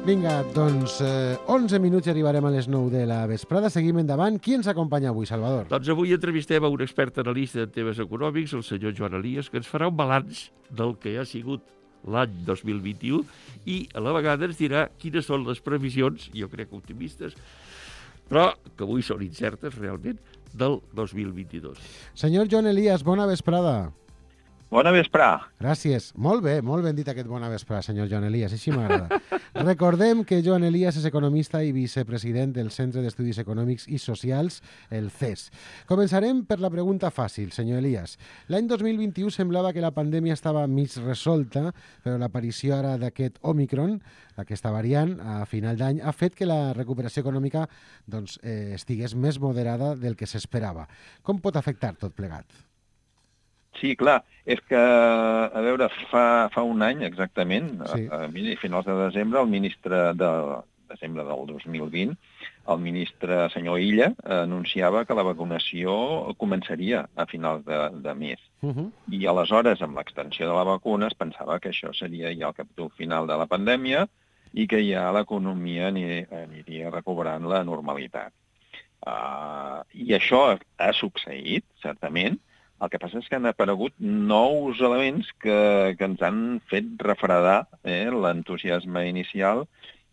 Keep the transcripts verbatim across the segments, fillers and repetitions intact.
Vinga, doncs eh, onze minuts i arribarem a les nou de la vesprada. Seguim endavant. Qui ens acompanya avui, Salvador? Doncs avui entrevistem a un expert analista en temes econòmics, el senyor Joan Elias, que ens farà un balanç del que ha sigut l'any dos mil vint-i-u i a la vegada ens dirà quines són les previsions, jo crec optimistes, però que avui són incertes realment, del dos mil vint-i-dos. Senyor Joan Elias, bona vesprada. Bona vesprà. Gràcies. Molt bé, molt ben dit aquest bona vesprà, senyor Joan Elias, així m'agrada. Recordem que Joan Elias és economista i vicepresident del Centre d'Estudis Econòmics i Socials, el C E S. Començarem per la pregunta fàcil, senyor Elias. L'any dos mil vint-i-u semblava que la pandèmia estava mig resolta, però l'aparició ara d'aquest Omicron, aquesta variant, a final d'any, ha fet que la recuperació econòmica doncs, eh, estigués més moderada del que s'esperava. Com pot afectar tot plegat? Sí, clar, és que, a veure, fa, fa un any exactament, sí. a, a finals de desembre, el ministre de desembre del dos mil vint, el ministre senyor Illa anunciava que la vacunació començaria a finals de, de mes. Uh -huh. I aleshores, amb l'extensió de la vacuna, es pensava que això seria ja el capítol final de la pandèmia i que ja l'economia aniria, aniria recuperant la normalitat. Uh, I això ha succeït, certament. El que passa és que han aparegut nous elements que, que ens han fet refredar eh, l'entusiasme inicial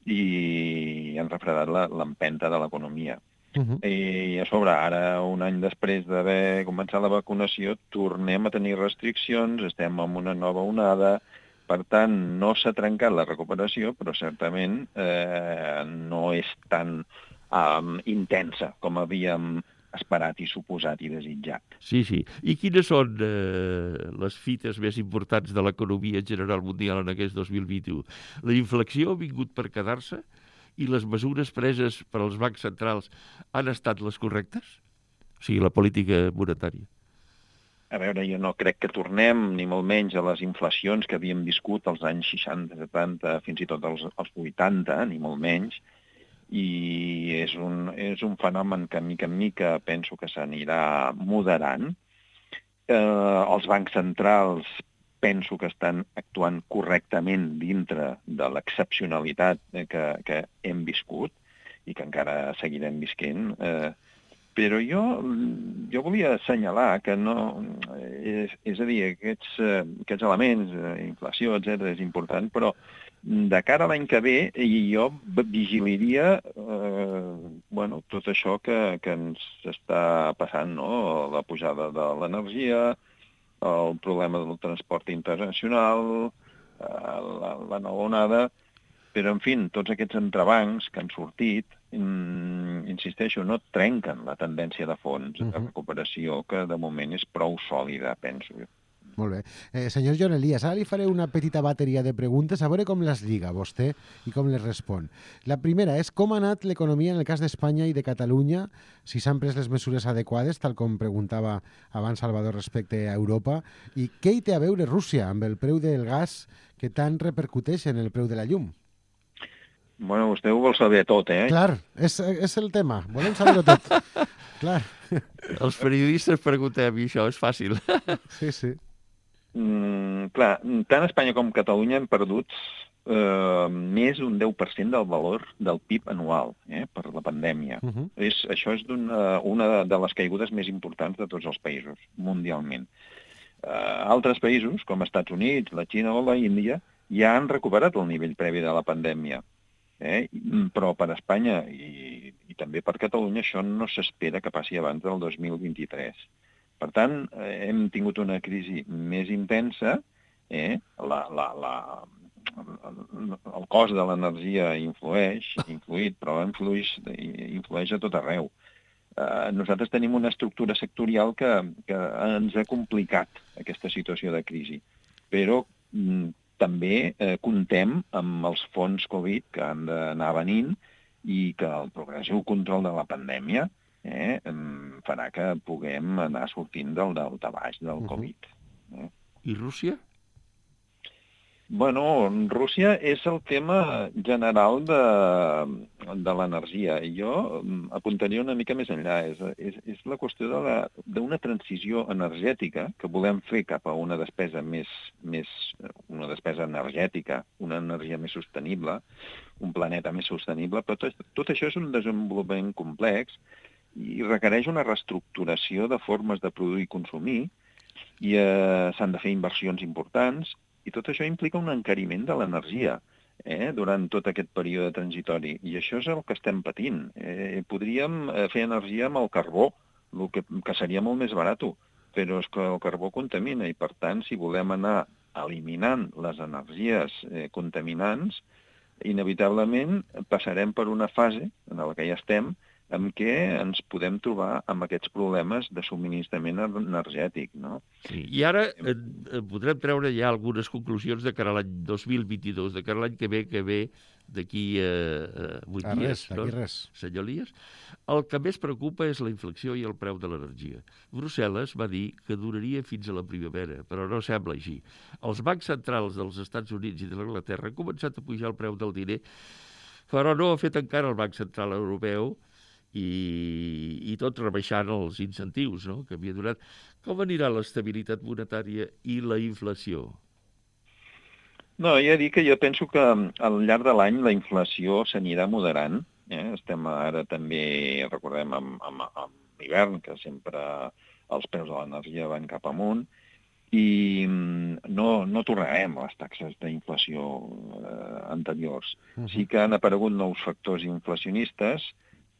i han refredat l'empenta de l'economia. Uh -huh. I a sobre, ara, un any després d'haver començat la vacunació, tornem a tenir restriccions, estem en una nova onada, per tant, no s'ha trencat la recuperació, però certament eh, no és tan um, intensa com havíem esperat i suposat i desitjat. Sí, sí. I quines són eh, les fites més importants de l'economia general mundial en aquest dos mil vint-i-u? La inflació ha vingut per quedar-se i les mesures preses per als bancs centrals han estat les correctes? O sigui, la política monetària. A veure, jo no crec que tornem, ni molt menys, a les inflacions que havíem viscut als anys seixanta, setanta, fins i tot als, als vuitanta, ni molt menys, i és un, és un fenomen que, mica en mica, penso que s'anirà moderant. Eh, els bancs centrals penso que estan actuant correctament dintre de l'excepcionalitat que, que hem viscut i que encara seguirem visquent. Eh, però jo, jo volia assenyalar que no... És, és a dir, aquests, aquests elements, inflació, etcètera, és important, però de cara a l'any que ve, jo vigilaria eh, bueno, tot això que, que ens està passant, no? La pujada de l'energia, el problema del transport internacional, eh, la, la nova onada, però, en fi, tots aquests entrebancs que han sortit, mm, insisteixo, no trenquen la tendència de fons de recuperació, que de moment és prou sòlida, penso jo. Molt bé. Eh, senyor Joan Elias, ara li faré una petita bateria de preguntes a veure com les lliga vostè i com les respon. La primera és com ha anat l'economia en el cas d'Espanya i de Catalunya, si s'han pres les mesures adequades, tal com preguntava abans Salvador respecte a Europa, i què hi té a veure Rússia amb el preu del gas que tant repercuteix en el preu de la llum? Bueno, vostè ho vol saber tot, eh? Clar, és, és el tema. Volem saber-ho tot. Clar. Els periodistes preguntem, i això és fàcil. Sí, sí. Mm, clar, tant Espanya com Catalunya han perdut eh, més d'un deu per cent del valor del P I B anual eh, per la pandèmia. Uh -huh. és, això és una, una de les caigudes més importants de tots els països, mundialment. Eh, altres països, com Estats Units, la Xina o la Índia, ja han recuperat el nivell previ de la pandèmia. Eh? Però per Espanya i, i també per Catalunya això no s'espera que passi abans del dos mil vint-i-tres. Per tant, eh, hem tingut una crisi més intensa, eh? la, la, la, el cost de l'energia influeix, influït, però influeix, influeix a tot arreu. Eh, nosaltres tenim una estructura sectorial que, que ens ha complicat aquesta situació de crisi, però mm, també eh, comptem amb els fons Covid que han d'anar venint i que el progressiu control de la pandèmia eh, farà que puguem anar sortint del daltabaix del Covid. Eh. I Rússia? Bueno, Rússia és el tema general de, de l'energia. I jo apuntaria una mica més enllà. És, és, és la qüestió de la- d'una transició energètica que volem fer cap a una despesa més, més una despesa energètica, una energia més sostenible, un planeta més sostenible, però tot, tot això és un desenvolupament complex i requereix una reestructuració de formes de produir i consumir, i eh, s'han de fer inversions importants, i tot això implica un encariment de l'energia eh, durant tot aquest període transitori. I això és el que estem patint. Eh, podríem fer energia amb el carbó, el que, que seria molt més barat, però és que el carbó contamina, i per tant, si volem anar eliminant les energies eh, contaminants, inevitablement passarem per una fase en la que ja estem, en què ens podem trobar amb aquests problemes de subministrament energètic, no? Sí. I ara eh, podrem treure ja algunes conclusions de cara a l'any dos mil vint-i-dos, de cara a l'any que ve, que ve d'aquí eh, vuit A dies, res, d'aquí no? res. Senyor Elias, el que més preocupa és la inflació i el preu de l'energia. Brussel·les va dir que duraria fins a la primavera, però no sembla així. Els bancs centrals dels Estats Units i de l'Anglaterra han començat a pujar el preu del diner, però no ha fet encara el Banc Central Europeu, i, i tot rebaixant els incentius, no?, que havia donat. Com anirà l'estabilitat monetària i la inflació? No, ja he dit que jo penso que al llarg de l'any la inflació s'anirà moderant. Eh? Estem ara també, recordem, amb, amb, amb l'hivern, que sempre els preus de l'energia van cap amunt, i no, no tornarem a les taxes d'inflació eh, anteriors. Uh-huh. Sí que han aparegut nous factors inflacionistes,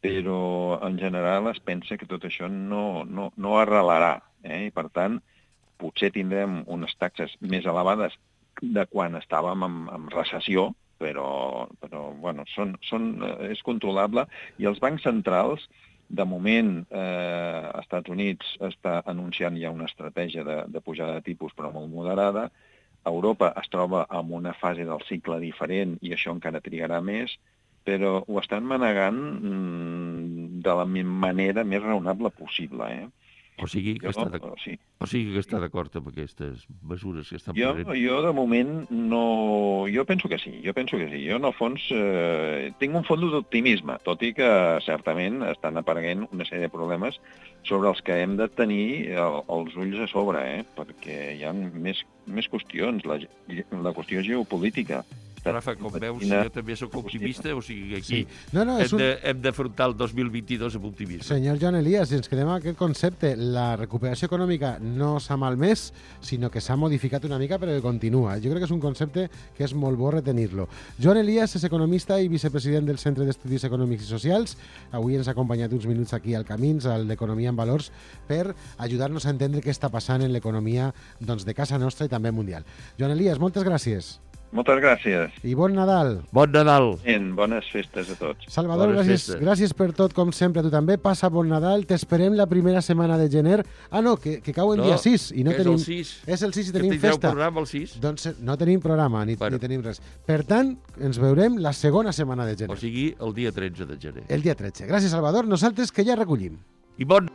però en general es pensa que tot això no, no, no arrelarà. Eh? I per tant, potser tindrem unes taxes més elevades de quan estàvem en, en recessió, però, però bueno, són, són, és controlable. I els bancs centrals, de moment, eh, als Estats Units està anunciant ja una estratègia de, de pujada de tipus, però molt moderada. Europa es troba en una fase del cicle diferent i això encara trigarà més, però ho estan manegant mm, de la manera més raonable possible. Eh? O sigui que jo, està sí. o sigui que està d'acord amb aquestes mesures que estan Jo, prenent? jo, de moment, no... Jo penso que sí, jo penso que sí. Jo, en el fons, eh, tinc un fons d'optimisme, tot i que, certament, estan apareguent una sèrie de problemes sobre els que hem de tenir el, els ulls a sobre, eh? Perquè hi ha més, més qüestions, la, la qüestió geopolítica. Rafa, com veus, jo també sóc optimista, o sigui que aquí Sí. No, no, és hem, un... de, hem d'afrontar el dos mil vint-i-dos amb optimisme. Senyor Joan Elias, si ens quedem amb aquest concepte, la recuperació econòmica no s'ha malmès, sinó que s'ha modificat una mica, però que continua. Jo crec que és un concepte que és molt bo retenir-lo. Joan Elias és economista i vicepresident del Centre d'Estudis Econòmics i Socials. Avui ens ha acompanyat uns minuts aquí al Camins, al d'Economia en Valors, per ajudar-nos a entendre què està passant en l'economia doncs, de casa nostra i també mundial. Joan Elias, moltes gràcies. Moltes gràcies. I bon Nadal. Bon Nadal. En bones festes a tots. Salvador, Bones gràcies, festes. gràcies per tot, com sempre. Tu també. Passa bon Nadal. T'esperem la primera setmana de gener. Ah, no, que, que cau el No, dia sis. I no és tenim... el sis. És el sis i Que tenim tindreu festa. programa el sis. Doncs no tenim programa, ni, Bueno. ni tenim res. Per tant, ens veurem la segona setmana de gener. O sigui, el dia tretze de gener. El dia tretze. Gràcies, Salvador. Nosaltres que ja recollim. I bon